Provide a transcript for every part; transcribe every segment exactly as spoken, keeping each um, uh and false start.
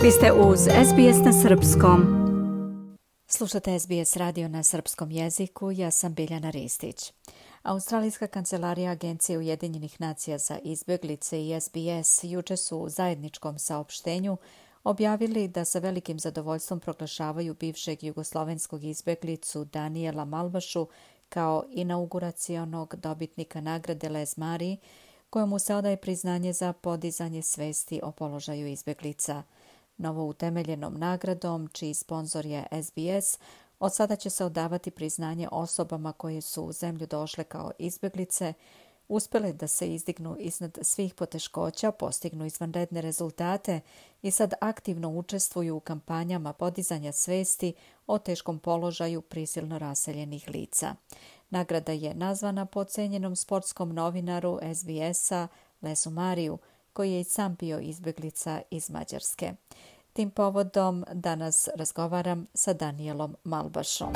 Vi ste uz S B S na srpskom. Slušate S B S radio na srpskom jeziku, ja sam Biljana Ristić. Australijska kancelarija Agencije Ujedinjenih nacija za izbjeglice i S B S juče su u zajedničkom saopštenju objavili da sa velikim zadovoljstvom proglašavaju bivšeg jugoslovenskog izbjeglicu Danijela Malbašu kao inauguracionog dobitnika nagrade Les Marie, kojemu se odaje priznanje za podizanje svesti o položaju izbjeglica. Novo utemeljenom nagradom, čiji sponzor je S B S, od sada će se odavati priznanje osobama koje su u zemlju došle kao izbjeglice, uspjele da se izdignu iznad svih poteškoća, postignu izvanredne rezultate i sad aktivno učestvuju u kampanjama podizanja svesti o teškom položaju prisilno raseljenih lica. Nagrada je nazvana po cenjenom sportskom novinaru S B S-a Lesu Mariju, koji je i sam bio izbjeglica iz Mađarske. Tim povodom danas razgovaram sa Danijelom Malbašom.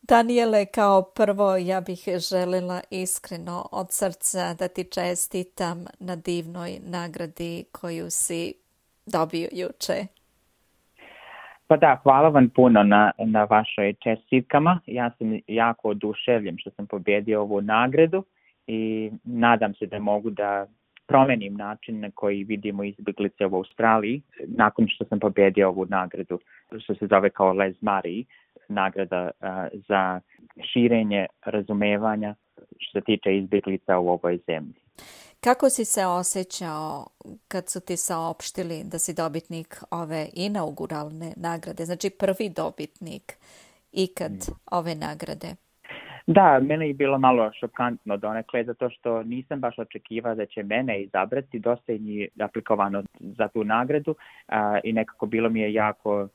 Danijele, kao prvo ja bih željela iskreno od srca da ti čestitam na divnoj nagradi koju si dobio juče. Pa da, hvala vam puno na, na vašoj čestitkama. Ja sam jako oduševljen što sam pobjedio ovu nagradu i nadam se da mogu da promenim način na koji vidimo izbjeglice u Australiji nakon što sam pobjedio ovu nagradu, što se zove kao Les Marie, nagrada uh, za širenje razumevanja što se tiče izbjeglica u ovoj zemlji. Kako si se osjećao kad su ti saopštili da si dobitnik ove inauguralne nagrade, znači prvi dobitnik ikad mm. ove nagrade? Da, meni je bilo malo šokantno donekle, zato što nisam baš očekivao da će mene izabrati, dosta je aplikovano za tu nagradu a, i nekako bilo mi je jako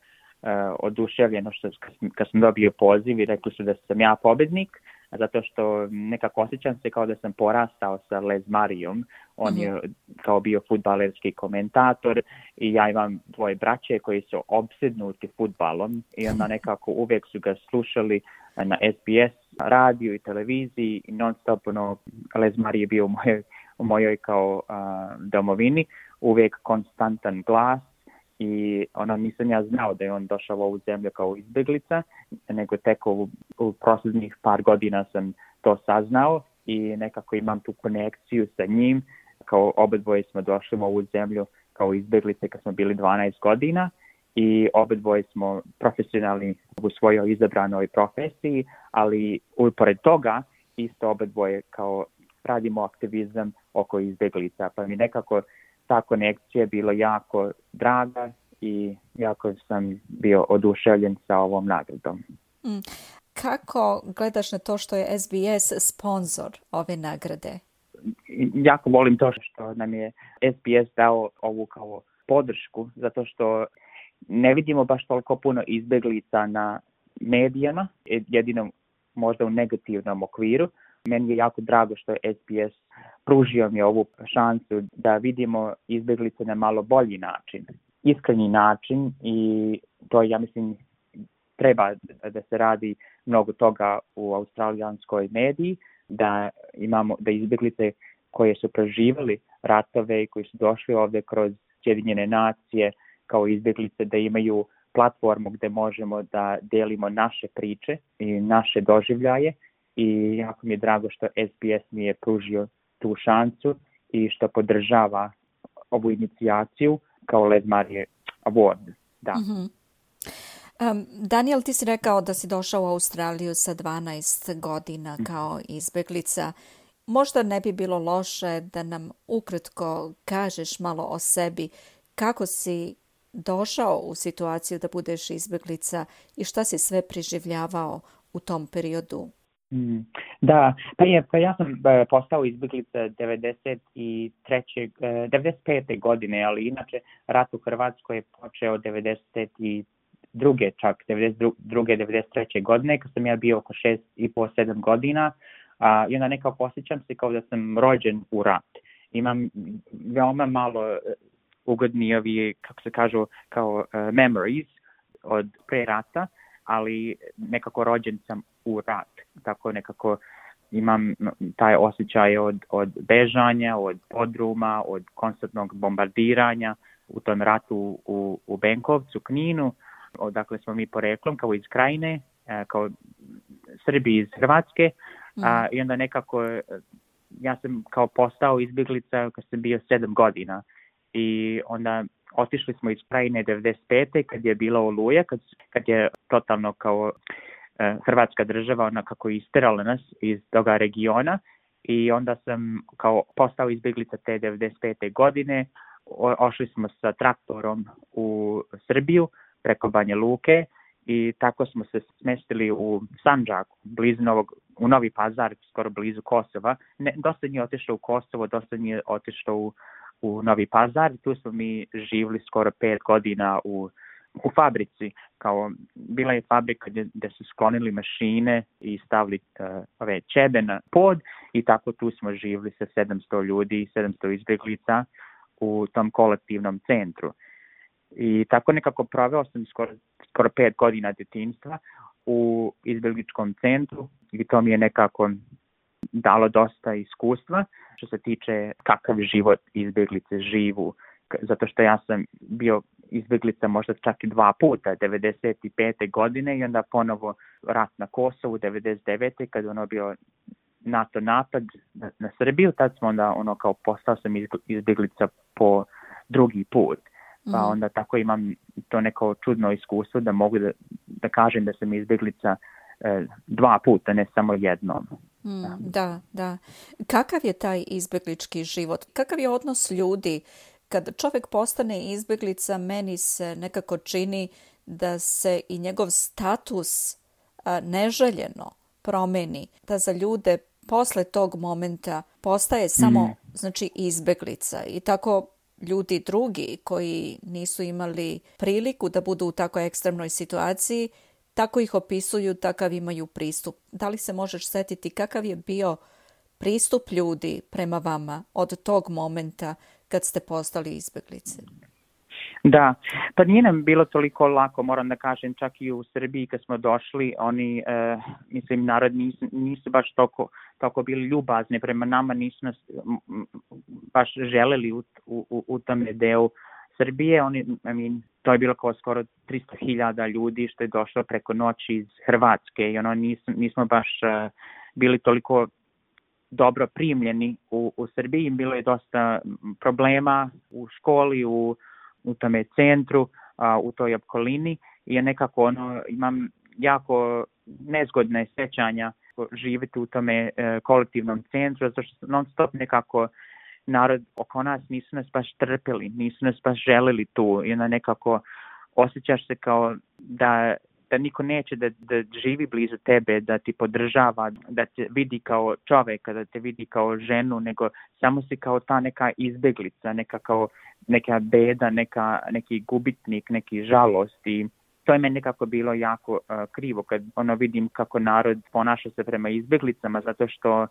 a, oduševljeno što kad sam dobio poziv i rekli su da sam ja pobednik, zato što nekako osjećam se kao da sam porastao sa Les Marijom. On mm-hmm. je kao bio fudbalerski komentator i ja imam dvoje braće koji su opsednuti fudbalom i onda nekako uvijek su ga slušali na S B S radiju i televiziji i non stop ono, Les Marie je bio u mojoj, u mojoj kao uh, domovini, uvijek konstantan glas i ono nisam ja znao da je on došao u ovu zemlju kao izbjeglica, nego tek u, u posljednjih par godina sam to saznao i nekako imam tu konekciju sa njim, kao obadvoje smo došli u ovu zemlju kao izbjeglice kad smo bili dvanaest godina i obadvoje smo profesionalni u svojoj izabranoj profesiji, ali upored toga isto obadvoje kao radimo aktivizam oko izbjeglica, pa mi nekako ta konekcija je bila jako draga i jako sam bio oduševljen sa ovom nagradom. Mm. Kako gledaš na to što je S B S sponzor ove nagrade? Jako volim to što nam je S B S dao ovu kao podršku, zato što ne vidimo baš toliko puno izbjeglica na medijama, jedino možda u negativnom okviru. Meni je jako drago što je S B S pružio mi ovu šansu da vidimo izbjeglice na malo bolji način, iskreni način i to ja mislim treba da se radi mnogo toga u australijanskoj mediji, da imamo da izbjeglice koje su preživjeli ratove i koji su došli ovdje kroz Sjedinjene nacije kao izbjeglice da imaju platformu gdje možemo da delimo naše priče i naše doživljaje i jako mi je drago što S B S mi je pružio tu šansu i što podržava ovu inicijaciju kao Les Marie Award. Da. Mm-hmm. Um, Daniel, ti si rekao da si došao u Australiju sa dvanaest godina kao izbjeglica. Možda ne bi bilo loše da nam ukratko kažeš malo o sebi, kako si došao u situaciju da budeš izbjeglica i šta si sve preživljavao u tom periodu? Mm, da, pa, je, pa ja sam uh, postao izbjeglica devedeset treće, uh, devedeset pete godine, ali inače rat u Hrvatskoj je počeo devedeset druge čak devedeset druge devedeset treće godine, kad sam ja bio oko šest i po sedam godina uh, i onda nekako osjećam se kao da sam rođen u rat. Imam veoma malo uh, ugodni ovi, kako se kažu, kao uh, memories od pre rata, ali nekako rođen sam u rat. Tako nekako imam taj osjećaj od, od bežanja, od podruma, od konstantnog bombardiranja u tom ratu u, u Benkovcu, Kninu, odakle smo mi poreklom, kao iz Krajine, kao Srbi iz Hrvatske, mm. a, i onda nekako ja sam kao postao izbjeglica kad sam bio sedam godina i onda otišli smo iz Krajine devedeset pete kad je bila Oluja, kad, kad je totalno kao e, Hrvatska država ona kako isterala nas iz toga regiona i onda sam kao postao izbjeglica te devedeset pete godine. O, ošli smo sa traktorom u Srbiju preko Banja Luke i tako smo se smestili u Sandžaku, blizu Novog, u Novi Pazar, skoro blizu Kosova. Ne, dosta nije otišlo u Kosovo, dosta nije otišlo u, u Novi Pazar. Tu smo mi živjeli skoro pet godina u, u fabrici. Kao, bila je fabrika gdje, gdje su sklonili mašine i stavili uh, ove ćebe na pod i tako tu smo živjeli sa sedamsto ljudi, sedamsto izbjeglica u tom kolektivnom centru. I tako nekako proveo sam skoro, skoro pet godina djetinjstva u izbjegličkom centru i to mi je nekako dalo dosta iskustva što se tiče kakav život izbjeglice živu. Zato što ja sam bio izbjeglica možda čak i dva puta, devedeset pete godine i onda ponovo rat na Kosovu, devedeset devete kad ono bio NATO napad na, na Srbiju, tad smo onda ono kao postao sam izbjeglica po drugi put. Pa onda tako imam to neko čudno iskustvo da mogu da, da kažem da sam izbjeglica e, dva puta, ne samo jednom. Mm, da, da. Kakav je taj izbjeglički život? Kakav je odnos ljudi? Kad čovjek postane izbjeglica, meni se nekako čini da se i njegov status a, neželjeno promeni. Da za ljude posle tog momenta postaje samo mm. znači izbjeglica i tako ljudi drugi koji nisu imali priliku da budu u tako ekstremnoj situaciji, tako ih opisuju, takav imaju pristup. Da li se možeš setiti kakav je bio pristup ljudi prema vama od tog momenta kad ste postali izbjeglice? Da, pa nije nam bilo toliko lako, moram da kažem, čak i u Srbiji kad smo došli, oni, e, mislim, narod nisu, nisu baš toliko, toliko bili ljubazni prema nama, nisu nas m, baš želeli u, u, u tome delu Srbije. Oni, I mean, to je bilo kao skoro tristo hiljada ljudi što je došlo preko noći iz Hrvatske i ono, nismo, nismo baš uh, bili toliko dobro primljeni u, u Srbiji. Bilo je dosta problema u školi, u u tome centru, a, u toj okolini i nekako ono, imam jako nezgodne sjećanja živjeti u tome e, kolektivnom centru, zato što non stop nekako narod oko nas nisu nas baš trpili, nisu nas baš želili tu i onda nekako osjećaš se kao da, da niko neće da, da živi blizu tebe, da ti podržava, da te vidi kao čovjeka, da te vidi kao ženu, nego samo si kao ta neka izbjeglica, neka kao neka beda, neka, neki gubitnik, neki žalost i to je meni nekako bilo jako uh, krivo kad ono vidim kako narod ponaša se prema izbjeglicama zato što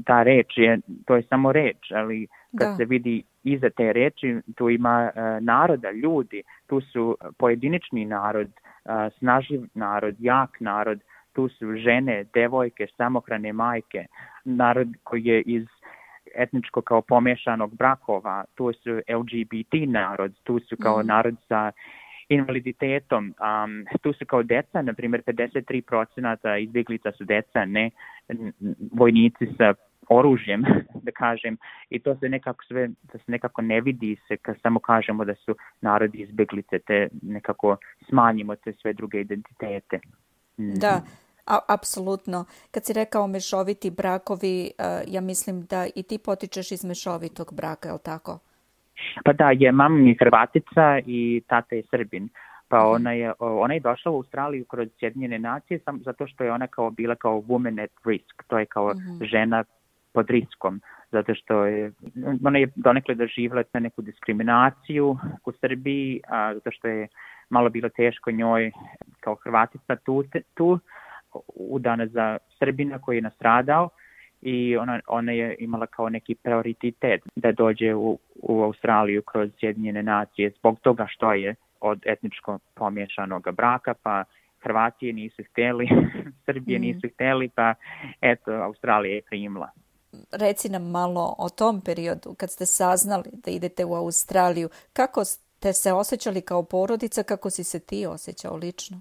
ta reč je, to je samo reč, ali kad da. se vidi iza te reči tu ima uh, naroda, ljudi, tu su pojedinični narod, uh, snaživ narod, jak narod, tu su žene, devojke, samohrane majke, narod koji je iz etničko kao pomešanog brakova, tu su L G B T narod, tu su kao mm. narod sa invaliditetom, um, tu su kao deca, na primjer pedeset tri posto izbjeglica su deca, ne vojnici sa oružjem, da kažem, i to se nekako sve, da se nekako ne vidi se kad samo kažemo da su narodi izbjeglice, te nekako smanjimo te sve druge identitete. Mm. Da. A, apsolutno. Kad si rekao mešoviti brakovi, uh, ja mislim da i ti potičeš iz mešovitog braka, je li tako? Pa da, je mama mi Hrvatica i tata je Srbin. Pa mm-hmm. ona je ona je došla u Australiju kroz Sjedinjene nacije sam, zato što je ona kao bila kao woman at risk. To je kao mm-hmm. žena pod riskom. Zato što je, ona je donekle doživjela na neku diskriminaciju u Srbiji, a, zato što je malo bilo teško njoj kao Hrvatica tu, tu udana za Srbina koji je nastradao i ona, ona je imala kao neki prioritet da dođe u, u Australiju kroz Sjedinjene nacije zbog toga što je od etničko pomiješanog braka, pa Hrvatije nisu htjeli, Srbije mm. nisu htjeli, pa eto, Australija je primila. Reci nam malo o tom periodu kad ste saznali da idete u Australiju. Kako ste se osjećali kao porodica, kako si se ti osjećao lično?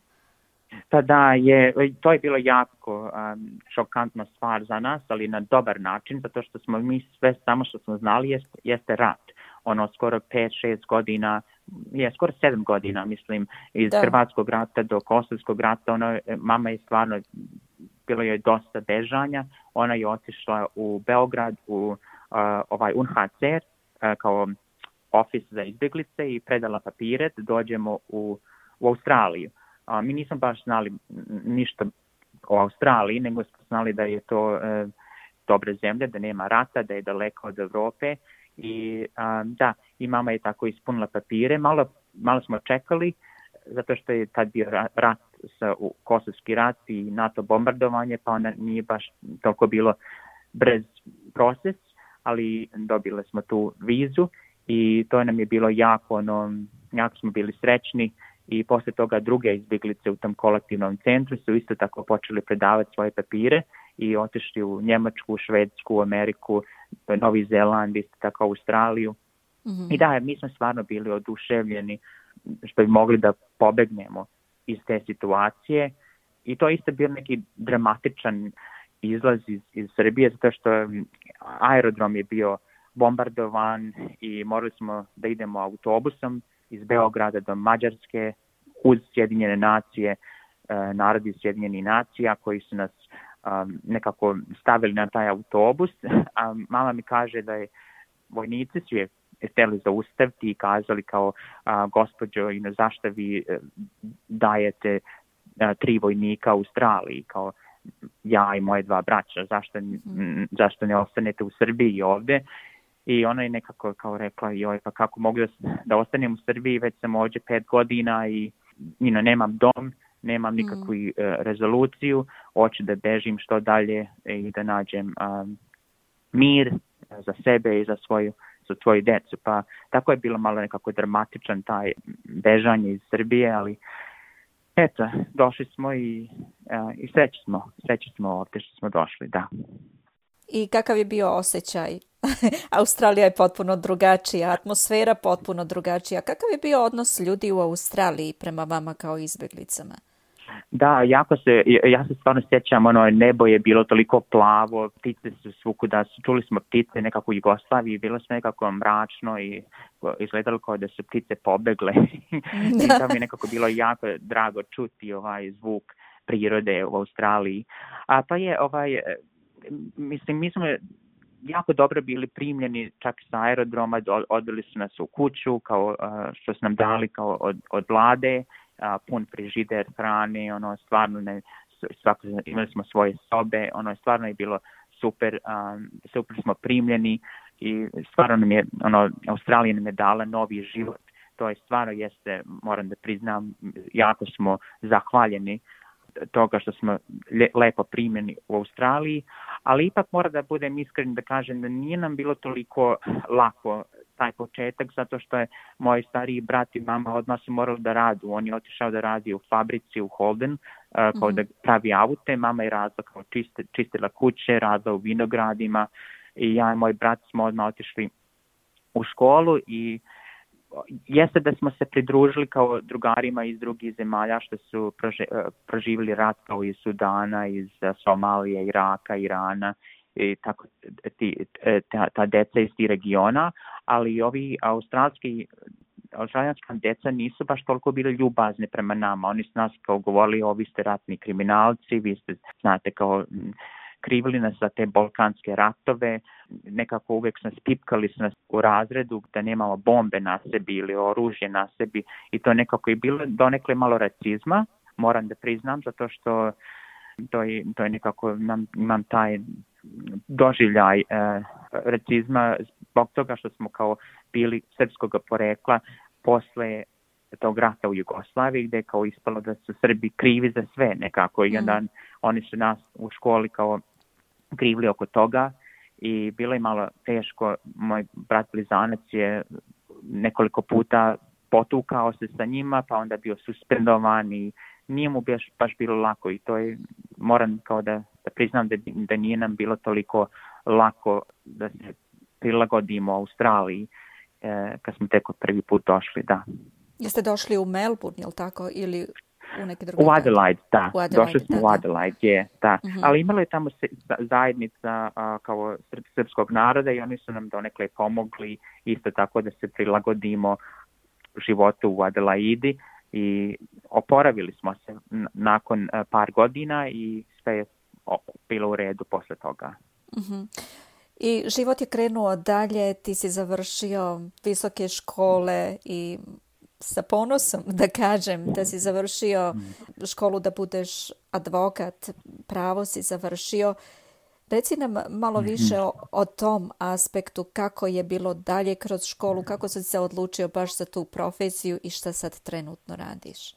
Pa da, je, to je bilo jako um, šokantna stvar za nas, ali na dobar način, zato što smo mi sve samo što smo znali jeste, jeste rat. Ono, skoro pet, šest godina, je skoro sedam godina, mislim, iz da. Hrvatskog rata do Kosovskog rata. Ono, mama je stvarno, bilo je dosta bežanja. Ona je otišla u Beograd, u uh, ovaj U N H C R, uh, kao ofis za izbjeglice i predala papire da dođemo u, u Australiju. Uh, mi nismo baš znali ništa o Australiji, nego smo znali da je to uh, dobra zemlja, da nema rata, da je daleko od Evrope. I um, da, i mama je tako ispunila papire. Malo, malo smo čekali, zato što je tad bio rat, sa, u Kosovski rat i NATO bombardovanje, pa onda nije baš toliko bilo brz proces, ali dobili smo tu vizu i to nam je bilo jako, ono, jako smo bili srećni. I posle toga druge izbjeglice u tom kolektivnom centru su isto tako počeli predavati svoje papire i otišli u Njemačku, Švedsku, Ameriku, Novi Zeland, isto tako Australiju. Mm-hmm. I da, mi smo stvarno bili oduševljeni što bi mogli da pobegnemo iz te situacije. I to isto bio neki dramatičan izlaz iz, iz Srbije, zato što aerodrom je bio bombardovan i morali smo da idemo autobusom iz Beograda do Mađarske uz Sjedinjene nacije, narodi Sjedinjenih nacija koji su nas um, nekako stavili na taj autobus. A mama mi kaže da je vojnici su je htjeli zaustaviti i kazali kao a, gospođo, you know, zašto vi dajete a, tri vojnika u Australiji, kao ja i moje dva braća, zašto, mm. zašto ne ostanete u Srbiji ovdje? I ona je nekako kao rekla, joj, pa kako mogu da, da ostanem u Srbiji, već sam ovdje pet godina i you know, nemam dom, nemam nikakvu mm. rezoluciju, hoću da bežim što dalje i da nađem um, mir za sebe i za svoju, za svoju decu. Pa tako je bilo malo nekako dramatičan taj bežanje iz Srbije, ali eto, došli smo i, uh, i sreći smo, sreći smo ovdje što smo došli, da. I kakav je bio osjećaj? Australija je potpuno drugačija, atmosfera potpuno drugačija. Kakav je bio odnos ljudi u Australiji prema vama kao izbjeglicama? Da, jako se, ja se stvarno sjećam, ono, nebo je bilo toliko plavo, ptice su svukuda, čuli smo ptice nekako u Jugoslaviji, bilo se nekako mračno i izgledalo kao da su ptice pobegle. I to mi je nekako bilo jako drago čuti ovaj zvuk prirode u Australiji. A pa je, ovaj, mislim, mi smo jako dobro bili primljeni čak sa aerodroma, odveli su nas u kuću, kao što su nam dali kao od, od vlade, a, pun frižider hrane, ono stvarno ne, svako, imali smo svoje sobe, ono stvarno je bilo super, um, super smo primljeni i stvarno nam je, ono, Australija nam je dala novi život. To je stvarno jeste, moram da priznam, jako smo zahvaljeni toga što smo le, lepo primljeni u Australiji, ali ipak mora da budem iskren da kažem da nije nam bilo toliko lako taj početak, zato što je moj stariji brat i mama odmah su morali da radu. On je otišao da radi u fabrici u Holden, uh, kao mm-hmm. da pravi aute. Mama je radila kao čiste, čistila kuće, radila u vinogradima i ja i moj brat smo odmah otišli u školu i jeste da smo se pridružili kao drugarima iz drugih zemalja što su prože, proživjeli rat kao iz Sudana, iz Somalije, Iraka, Irana i tako ti, ta, ta deca iz tih regiona, ali ovi australski australijanska deca nisu baš toliko bili ljubazni prema nama. Oni su nas kao govorili, ovi ste ratni kriminalci, vi ste, znate, kao krivili nas za te balkanske ratove, nekako uvijek nas pipkali su nas u razredu da nemamo bombe na sebi ili oružje na sebi i to nekako je bilo donekle malo racizma, moram da priznam, zato što to je, to je nekako, nam, imam taj doživljaj eh, racizma zbog toga što smo kao bili srpskog porekla posle tog rata u Jugoslaviji, gdje je kao ispalo da su Srbi krivi za sve nekako i onda mm. oni su nas u školi kao krivili oko toga i bilo je malo teško. Moj brat blizanac je nekoliko puta potukao se sa njima, pa onda bio suspendovan i nije mu baš, baš bilo lako i to je, moram kao da, da priznam da, da nije nam bilo toliko lako da se prilagodimo Australiji e, kad smo tek od prvi put došli, da. Jeste došli u Melbourne, je li tako, ili u neke druge? U Adelaide, da. U Adelaide, došli smo da, u Adelaide, da. je, da. Uh-huh. Ali imala je tamo se, zajednica a, kao srp, srpskog naroda i oni su nam donekle pomogli isto tako da se prilagodimo životu u Adelaidi i oporavili smo se nakon a, par godina i sve je bilo u redu posle toga. Uh-huh. I život je krenuo dalje, ti si završio visoke škole i sa ponosom da kažem da si završio školu da budeš advokat, pravo si završio. Reci nam malo više o, o tom aspektu, kako je bilo dalje kroz školu, kako si se odlučio baš za tu profesiju i šta sad trenutno radiš?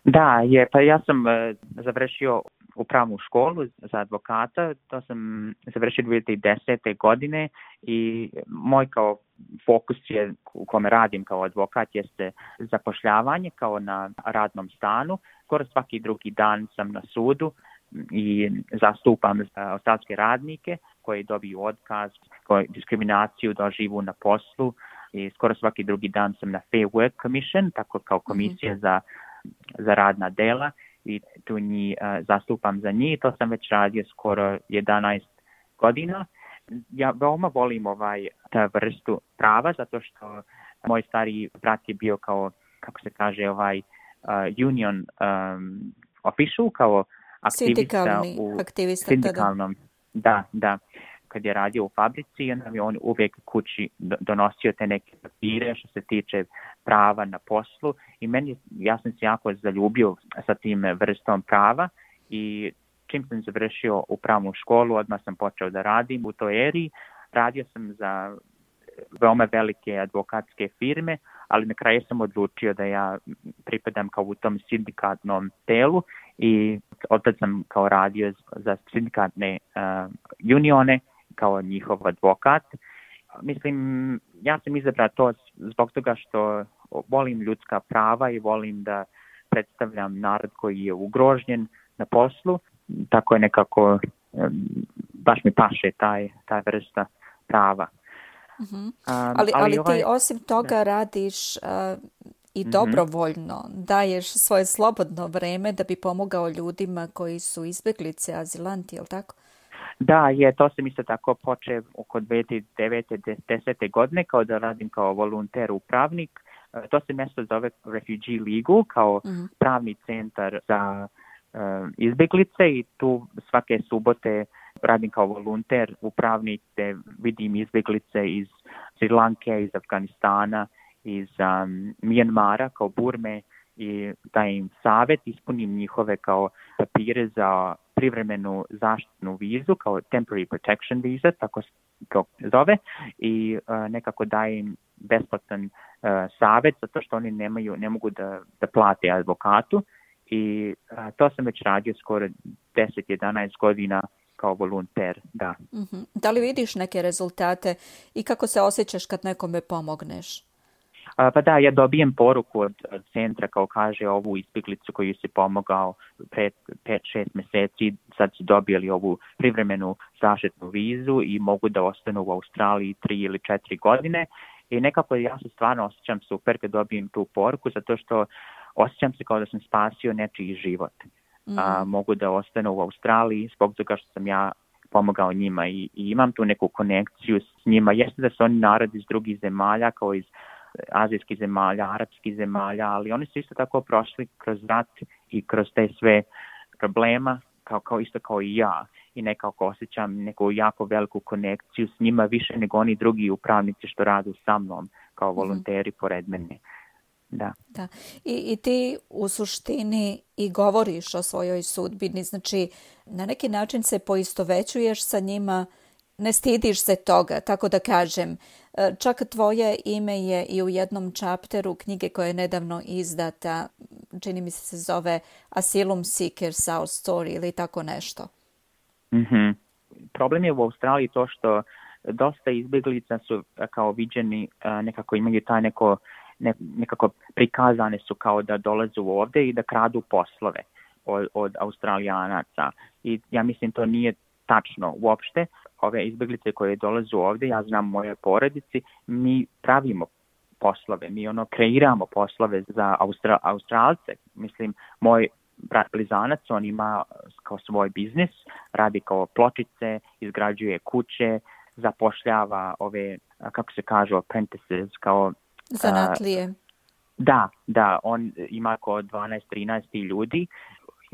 Da, je, pa ja sam uh, završio upravnu školu za advokata, to sam završio dvije hiljade desete. godine i moj kao fokus je u kome radim kao advokat jeste zapošljavanje kao na radnom stanu. Skoro svaki drugi dan sam na sudu i zastupam australske radnike koji dobiju otkaz, koji diskriminaciju doživu na poslu i skoro svaki drugi dan sam na Fair Work Commission, tako kao komisija mm-hmm. za, za radna dela i tu njih uh, zastupam za njih. To sam već radio skoro jedanaest godina. Ja veoma volim ovaj, ta vrstu prava zato što moj stari brat je bio kao, kako se kaže, ovaj uh, union um, official, kao aktivista u aktivista, sindikalnom. Da, da. Kad je radio u fabrici, onda mi on uvijek kući donosio te neke papire što se tiče prava na poslu i meni, ja sam se jako zaljubio sa tim vrstom prava i čim sam završio upravnu školu, odmah sam počeo da radim u toj eri. Radio sam za veoma velike advokatske firme, ali na kraju sam odlučio da ja pripadam kao u tom sindikatnom telu i odtad sam kao radio za sindikatne uh, unione kao njihov advokat. Mislim, ja sam izabrao to zbog toga što volim ljudska prava i volim da predstavljam narod koji je ugrožen na poslu. Tako je nekako, baš mi paše taj, taj vrsta prava. Uh-huh. Um, ali, ali, ali ovaj, ti osim toga da. radiš uh, i uh-huh. dobrovoljno, daješ svoje slobodno vreme da bi pomogao ljudima koji su izbjeglice, azilanti, je li tako? Da, je, to sam isto tako počeo oko dvije hiljade devete. desete. godine kao da radim kao volonter upravnik. Uh, to se mjesto zove Refugee Legal, kao uh-huh. pravni centar za uh, izbjeglice i tu svake subote radim kao volonter upravnik gdje vidim izbjeglice iz Sri Lanke, iz Afganistana, iz um, Mijanmara, kao Burme i dajem savjet, ispunim njihove kao papire za privremenu zaštitnu vizu, kao temporary protection visa, tako se zove, i uh, nekako dajem besplatan uh, savjet, zato što oni nemaju, ne mogu da, da plate advokatu i uh, to sam već radio skoro deset do jedanaest godina kao volonter, da. Mm-hmm. Da li vidiš neke rezultate i kako se osjećaš kad nekome pomogneš? A, pa da, ja dobijem poruku od, od centra kao kaže ovu izbjeglicu koju si pomogao pred pet šest mjeseci, sad su dobili ovu privremenu zaštitnu vizu i mogu da ostanu u Australiji tri ili četiri godine i nekako ja se stvarno osjećam super kad dobijem tu poruku zato što osjećam se kao da sam spasio nečiji život. Mm. A, mogu da ostanu u Australiji zbog toga što sam ja pomogao njima i, i imam tu neku konekciju s njima. Jeste da su oni narod iz drugih zemalja, kao iz azijskih zemalja, arapskih zemalja, ali oni su isto tako prošli kroz rat i kroz te sve problema, kao, kao isto kao i ja. I nekako osjećam neku jako veliku konekciju s njima, više nego oni drugi upravnici što rade sa mnom, kao volonteri mm-hmm. pored mene. Da. Da. I, I ti u suštini i govoriš o svojoj sudbini, znači na neki način se poistovećuješ sa njima, ne stidiš se toga, tako da kažem. Čak tvoje ime je i u jednom čapteru knjige koja je nedavno izdata, čini mi se se zove Asylum Seekers Our Story ili tako nešto. Mm-hmm. Problem je u Australiji to što dosta izbjeglica su kao viđeni, nekako imaju taj neko ne, nekako prikazane su kao da dolaze ovde i da kradu poslove od, od Australijanaca. I ja mislim to nije tačno uopšte. Ove izbeglice koje dolaze ovde, ja znam moje porodici, mi pravimo poslove, mi ono kreiramo poslove za Austra, Australce. Mislim, moj brat blizanac, on ima kao svoj biznis, radi kao pločice, izgrađuje kuće, zapošljava ove, kako se kažu, apprentices, kao... Zanatlije. Uh, da, da, on ima kao dvanaest trinaest ljudi.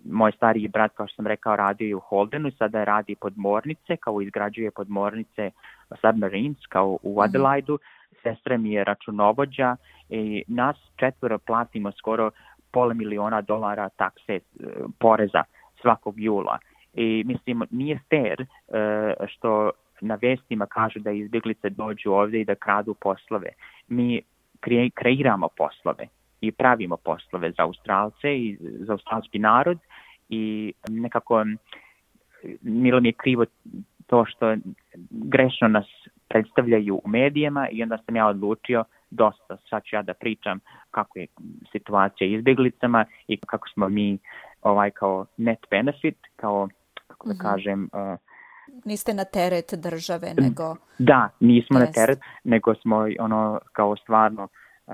Moj stariji brat, kao što sam rekao, radio u Holdenu, sada radi podmornice, kao izgrađuje podmornice submarines, kao u Adelaidu. Mm-hmm. Sestra mi je računovođa i nas četvoro platimo skoro pola miliona dolara takse, poreza svakog jula. I mislim, nije fair uh, što na vestima kažu da izbjeglice dođu ovdje i da kradu poslove. Mi kre, kreiramo poslove i pravimo poslove za Australce i za australski narod i nekako milo mi je krivo to što grešno nas predstavljaju u medijima i onda sam ja odlučio dosta, sad ću ja da pričam kako je situacija izbjeglicama i kako smo mi ovaj kao net benefit, kao kako da mm-hmm. kažem... Uh, Niste na teret države, nego... Da, nismo jest. na teret, nego smo ono kao stvarno... Uh,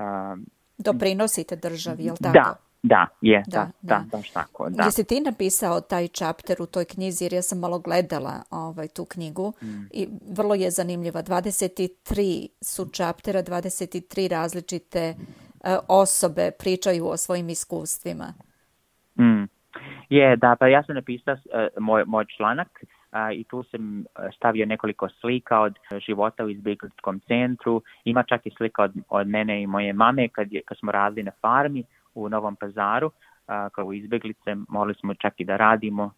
Doprinosite državi, jel tako? Da, da, je, da, da, da, baš tako, da. Jesi ti napisao taj chapter u toj knjizi, jer ja sam malo gledala ovaj, tu knjigu mm. i vrlo je zanimljiva. dvadeset tri su chaptera, dvadeset tri različite uh, osobe pričaju o svojim iskustvima. Mm. Je, da, pa ja sam napisao uh, moj, moj članak uh, i tu sam stavio nekoliko slika od života u izbjegličkom centru. Ima čak i slika od, od mene i moje mame kad, je, kad smo radili na farmi u Novom Pazaru. Uh, kao izbjeglice morali smo čak i da radimo uh,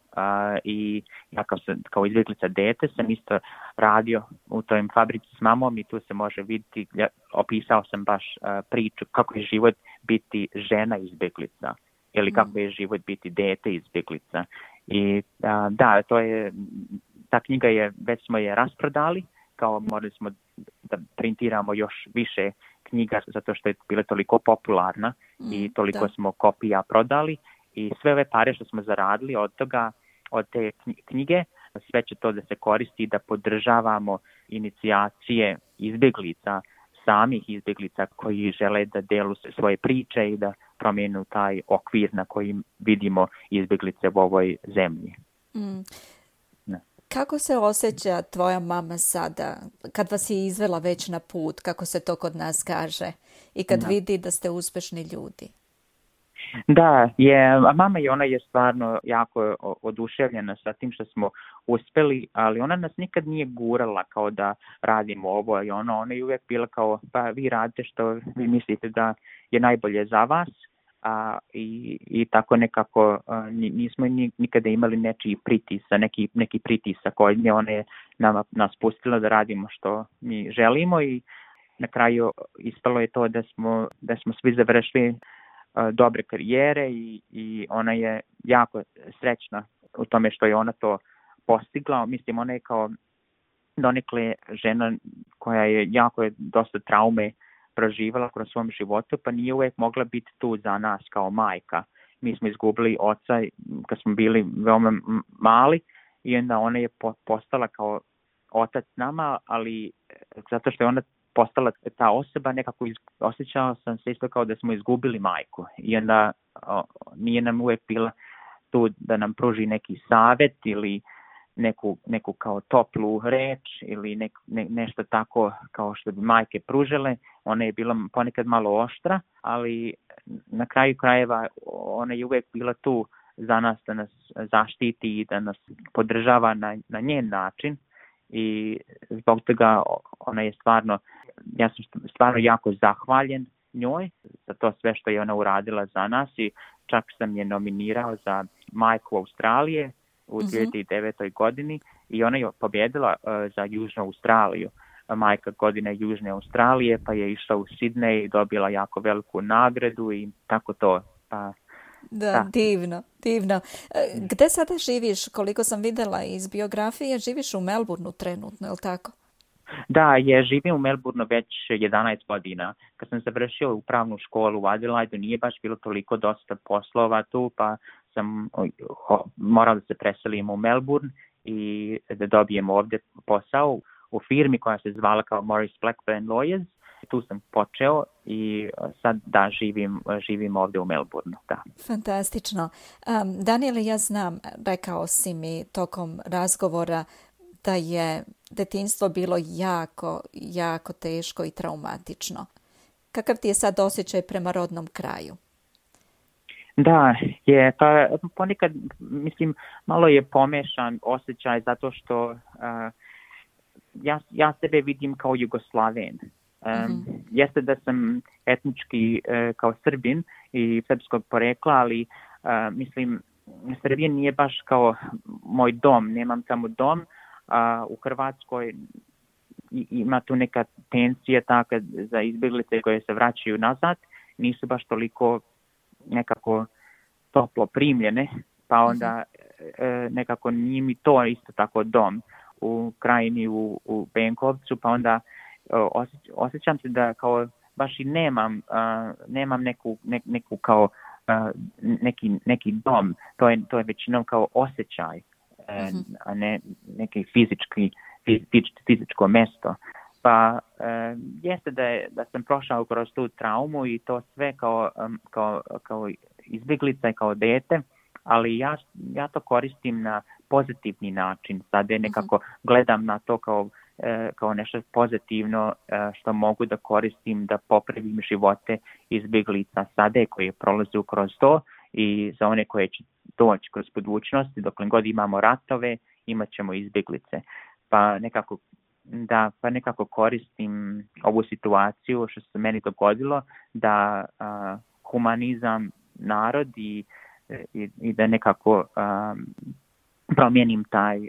i ja kao, sam, kao izbjeglica dete sam isto radio u toj fabrici s mamom i tu se može vidjeti, ja, opisao sam baš uh, priču kako je život biti žena izbjeglica ili kako je život biti dete izbjeglica. I a, da, to je, ta knjiga je, već smo je rasprodali, kao morali smo da printiramo još više knjiga zato što je bila toliko popularna mm, i toliko da. smo kopija prodali i sve ove pare što smo zaradili od toga, od te knjige, sve će to da se koristi da podržavamo inicijacije izbjeglica, samih izbjeglica koji žele da delu svoje priče i da promijenu taj okvir na kojim vidimo izbjeglice u ovoj zemlji. Mm. Kako se osjeća tvoja mama sada, kad vas je izvela već na put, kako se to kod nas kaže, i kad da. vidi da ste uspješni ljudi? Da, je, mama je, ona je stvarno jako oduševljena sa tim što smo uspjeli, ali ona nas nikad nije gurala kao da radimo ovo i ono, ona je uvijek bila kao, pa vi radite što vi mislite da je najbolje za vas. A, i, i tako nekako a, nismo nikada imali nečiji pritisa, neki, neki pritisak od nje, ona je nama, nas pustila da radimo što mi želimo i na kraju ispalo je to da smo, da smo svi završili a, dobre karijere i, i ona je jako srećna u tome što je ona to postigla. Mislim, ona je kao donekle žena koja je jako je dosta traume proživala kroz svom životu, pa nije uvijek mogla biti tu za nas kao majka. Mi smo izgubili oca kad smo bili veoma mali i onda ona je postala kao otac nama, ali zato što je ona postala ta osoba, nekako osjećao sam se isto kao da smo izgubili majku. I onda o, nije nam uvijek bila tu da nam pruži neki savjet ili neku, neku kao toplu reč ili nek, ne, nešto tako kao što bi majke pružile. Ona je bila ponekad malo oštra, ali na kraju krajeva ona je uvijek bila tu za nas da nas zaštiti i da nas podržava na, na njen način i zbog toga ona je stvarno, ja sam stvarno jako zahvaljen njoj za to sve što je ona uradila za nas i čak sam je nominirao za majku Australije u dvije hiljade devetoj. godini i ona je pobjedila uh, za Južnu Australiju. Majka godine Južne Australije, pa je išla u Sidney i dobila jako veliku nagradu i tako to. Pa, da, da, divno, divno. Gde sada živiš? Koliko sam vidjela iz biografije, živiš u Melbourneu trenutno, je li tako? Da, je, živim u Melbourneu već jedanaest godina. Kad sam završio u pravnu školu u Adelaidu, nije baš bilo toliko dosta poslova tu, pa sam morao da se preselim u Melbourne i da dobijem ovdje posao u firmi koja se zvala kao Morris Blackburn Lawyers. Tu sam počeo i sad da živim, živim ovdje u Melbourneu. Da. Fantastično. Um, Daniele, ja znam, rekao si mi tokom razgovora da je detinjstvo bilo jako, jako teško i traumatično. Kakav ti je sad osjećaj prema rodnom kraju? Da, je, pa ponekad, mislim, malo je pomešan osjećaj zato što uh, ja, ja sebe vidim kao Jugoslaven. Um, mm-hmm. Jeste da sam etnički uh, kao Srbin i srpskog porekla, ali uh, mislim, Srbija nije baš kao moj dom, nemam tamo dom. A u Hrvatskoj ima tu neka tenzija taka za izbjeglice koje se vraćaju nazad, nisu baš toliko nekako toplo primljene, pa onda e, nekako nije mi to isto tako dom u Krajini, u, u Benkovcu, pa onda osjeć, osjećam se da kao baš i nemam, a, nemam neku, ne, neku kao a, neki, neki dom, to je, to je većinom kao osjećaj. Mm-hmm. a ne neki fizički, fizič, fizičko mesto. Pa e, jeste da, je, da sam prošao kroz tu traumu i to sve kao, kao, kao izbjeglica i kao dete, ali ja, ja to koristim na pozitivni način. Sada nekako gledam na to kao, e, kao nešto pozitivno e, što mogu da koristim da popravim živote izbjeglica sada koje prolaze kroz to i za one koje će doći kroz budućnosti, dokle god imamo ratove, imat ćemo izbjeglice. Pa nekako, da, pa nekako koristim ovu situaciju što se meni dogodilo da a, humanizam narod i, i, i da nekako a, promijenim taj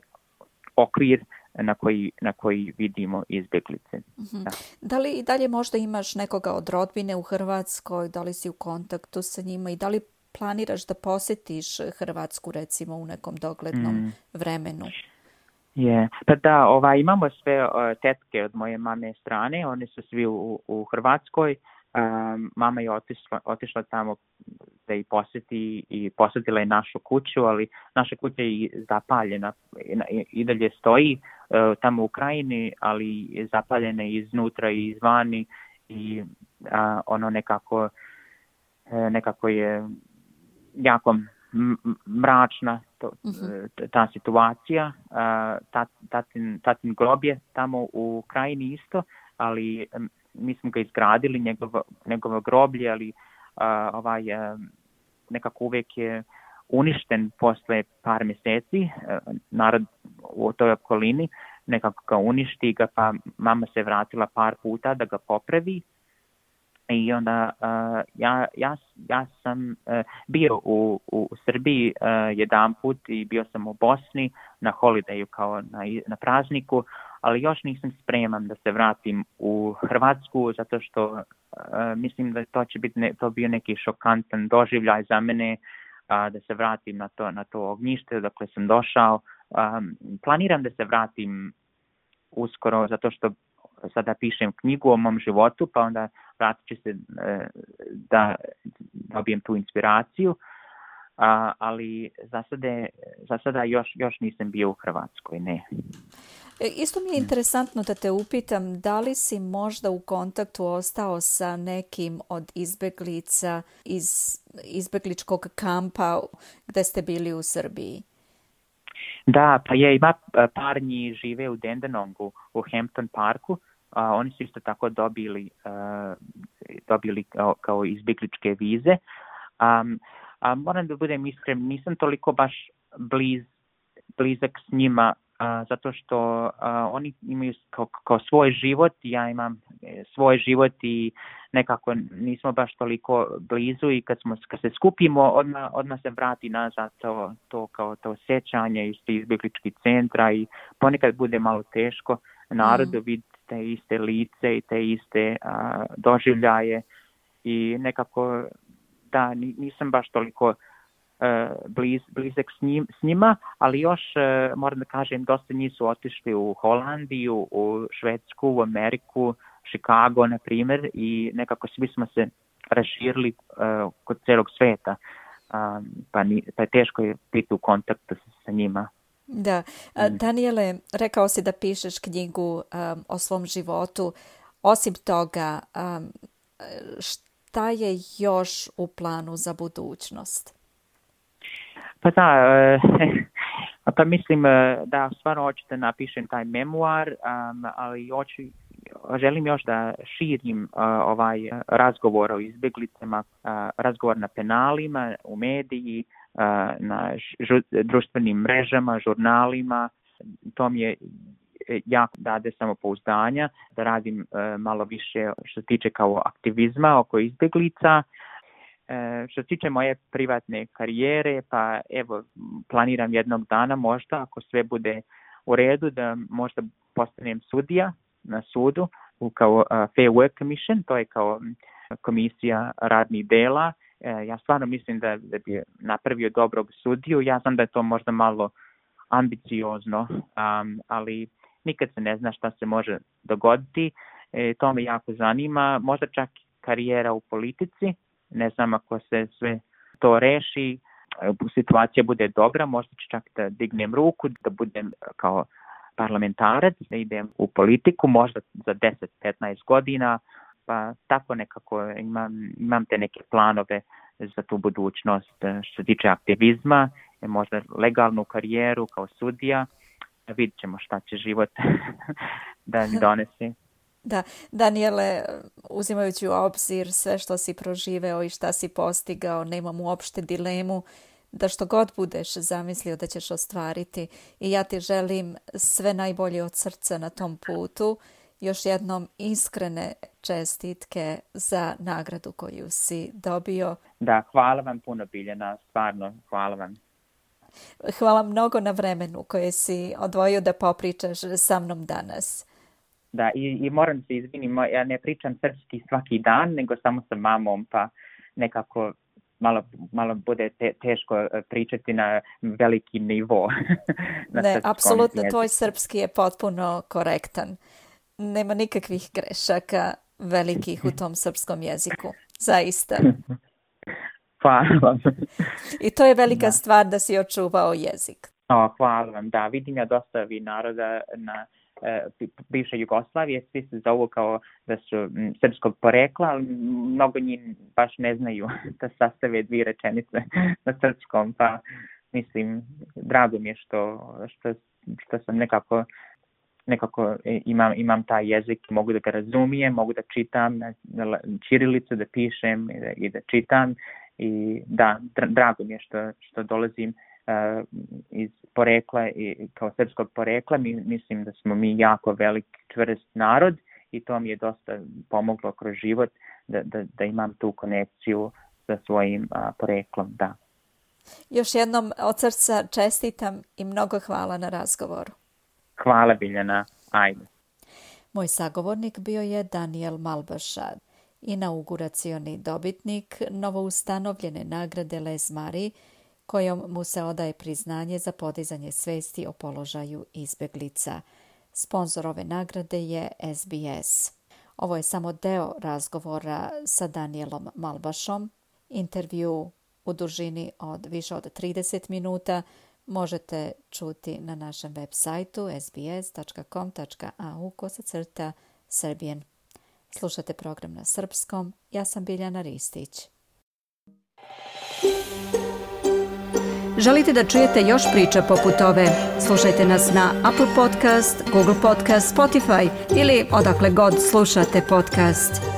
okvir na koji, na koji vidimo izbjeglice. Mm-hmm. Da. Da li i dalje možda imaš nekoga od rodbine u Hrvatskoj, da li si u kontaktu sa njima i da li planiraš da posjetiš Hrvatsku recimo u nekom doglednom mm. vremenu? Je, pa da, ovaj, imamo sve uh, tetke od moje mame strane, one su svi u, u Hrvatskoj. Um, mama je otišla, otišla tamo da ih posjeti i posjetila je našu kuću, ali naša kuća je zapaljena i, i dalje stoji uh, tamo u Krajini, ali je zapaljena iznutra i izvani i uh, ono nekako, uh, nekako je jako mračna to, uh-huh. ta situacija. Tat, tatin, tatin grob je tamo u Krajini isto, ali mi smo ga izgradili, njegovo, njegovo groblje, ali a, ovaj, a, nekako uvijek je uništen posle par mjeseci. A, narod u toj okolini nekako ga uništi ga, pa mama se vratila par puta da ga popravi. I onda uh, ja, ja, ja sam uh, bio u, u Srbiji uh, jedan put i bio sam u Bosni na holidayu kao na, na prazniku, ali još nisam spreman da se vratim u Hrvatsku zato što uh, mislim da to će biti ne, to bio neki šokantan doživljaj za mene uh, da se vratim na to, na to ognjište dokle sam došao. Um, planiram da se vratim uskoro zato što sada pišem knjigu o mom životu, pa onda vratit ću se e, da dobijem tu inspiraciju, a, ali za sada, za sada još, još nisam bio u Hrvatskoj, ne. Isto mi je interesantno da te upitam, da li si možda u kontaktu ostao sa nekim od izbjeglica iz izbjegličkog kampa gde ste bili u Srbiji? Da, pa je, ima par njih žive u Dandenongu, u Hampton Parku. Uh, oni su isto tako dobili, uh, dobili kao, kao izbjegličke vize. Um, a moram da budem iskren, nisam toliko baš bliz, blizak s njima, uh, zato što uh, oni imaju kao, kao svoj život, ja imam svoj život i nekako nismo baš toliko blizu i kad, smo, kad se skupimo, odmah, odmah se vrati nazad to, to, kao to sjećanje iz izbjegličkih centra i ponekad bude malo teško narodu mm. vidjeti te iste lice i te iste a, doživljaje i nekako da nisam baš toliko bliz, blizak s, njim, s njima, ali još, moram da kažem, dosta njih su otišli u Holandiju, u Švedsku, u Ameriku, Chicago, na primjer, i nekako svi smo se raširili uh, kod celog sveta, um, pa, ni, pa je teško je biti u kontaktu sa, sa njima. Da. Daniele, rekao si da pišeš knjigu um, o svom životu. Osim toga, um, šta je još u planu za budućnost? Pa da, pa mislim da stvarno hoću da napišem taj memoar, um, ali hoću, želim još da širim uh, ovaj razgovor o izbjeglicama, uh, razgovor na penalima, u mediji, uh, na žu, društvenim mrežama, žurnalima. To mi je jako dade samopouzdanja da radim uh, malo više što se tiče kao aktivizma oko izbjeglica. Uh, što se tiče moje privatne karijere, pa evo, planiram jednog dana možda, ako sve bude u redu, da možda postanem sudija na sudu, kao uh, Fair Work Commission, to je kao komisija radnih dela. Uh, ja stvarno mislim da, da bi napravio dobrog sudiju. Ja znam da je to možda malo ambiciozno, um, ali nikad se ne zna šta se može dogoditi. E, to me jako zanima. Možda čak karijera u politici. Ne znam, ako se sve to reši, situacija bude dobra, možda ću čak da dignem ruku, da budem kao parlamentarac, da idem u politiku, možda za deset do petnaest godina, pa tako nekako imam, imam te neke planove za tu budućnost što se tiče aktivizma, možda legalnu karijeru kao sudija. Vidjet ćemo šta će život da mi donese. Da, Daniele, uzimajući u obzir sve što si proživeo i šta si postigao, nemam uopšte dilemu da što god budeš zamislio da ćeš ostvariti, i ja ti želim sve najbolje od srca na tom putu. Još jednom iskrene čestitke za nagradu koju si dobio. Da, hvala vam puno, Biljana, stvarno, hvala vam. Hvala mnogo na vremenu koje si odvojio da popričaš sa mnom danas. Da, i, i moram se izvinim, ja ne pričam srpski svaki dan, nego samo sa mamom, pa nekako malo, malo bude te, teško pričati na veliki nivo. na ne, apsolutno, tvoj srpski je potpuno korektan. Nema nikakvih grešaka velikih u tom srpskom jeziku, zaista. Hvala vam. I to je velika da. stvar da si očuvao jezik. O, hvala vam, da, vidim ja dosta vi naroda na bivše Jugoslavije, svi se zovu kao da su m, srpskog porekla, ali mnogo njih baš ne znaju da sastave dvije rečenice na srpskom, pa mislim, drago mi je što, što, što sam nekako, nekako imam, imam taj jezik, mogu da ga razumijem, mogu da čitam na, na ćirilicu, da pišem i da, i da čitam, i da, drago mi je što, što dolazim Uh, iz porekla i kao srpskog porekla. Mi, mislim da smo mi jako velik čvrst narod i to mi je dosta pomoglo kroz život da, da, da imam tu konekciju sa svojim uh, poreklom. Da. Još jednom od srca čestitam i mnogo hvala na razgovoru. Hvala, Biljana. Ajde. Moj sagovornik bio je Daniel Malbaša, inauguracioni dobitnik novoustanovljene nagrade Les Marie, kojom mu se odaje priznanje za podizanje svesti o položaju izbjeglica. Sponzor ove nagrade je S B S. Ovo je samo deo razgovora sa Danielom Malbašom. Intervju u dužini od više od trideset minuta možete čuti na našem web sajtu s b s dot com dot a u kosacrta Serbian. Slušate program na srpskom. Ja sam Biljana Ristić. Želite da čujete još priča poput ove? Slušajte nas na Apple Podcast, Google Podcast, Spotify ili odakle god slušate podcast.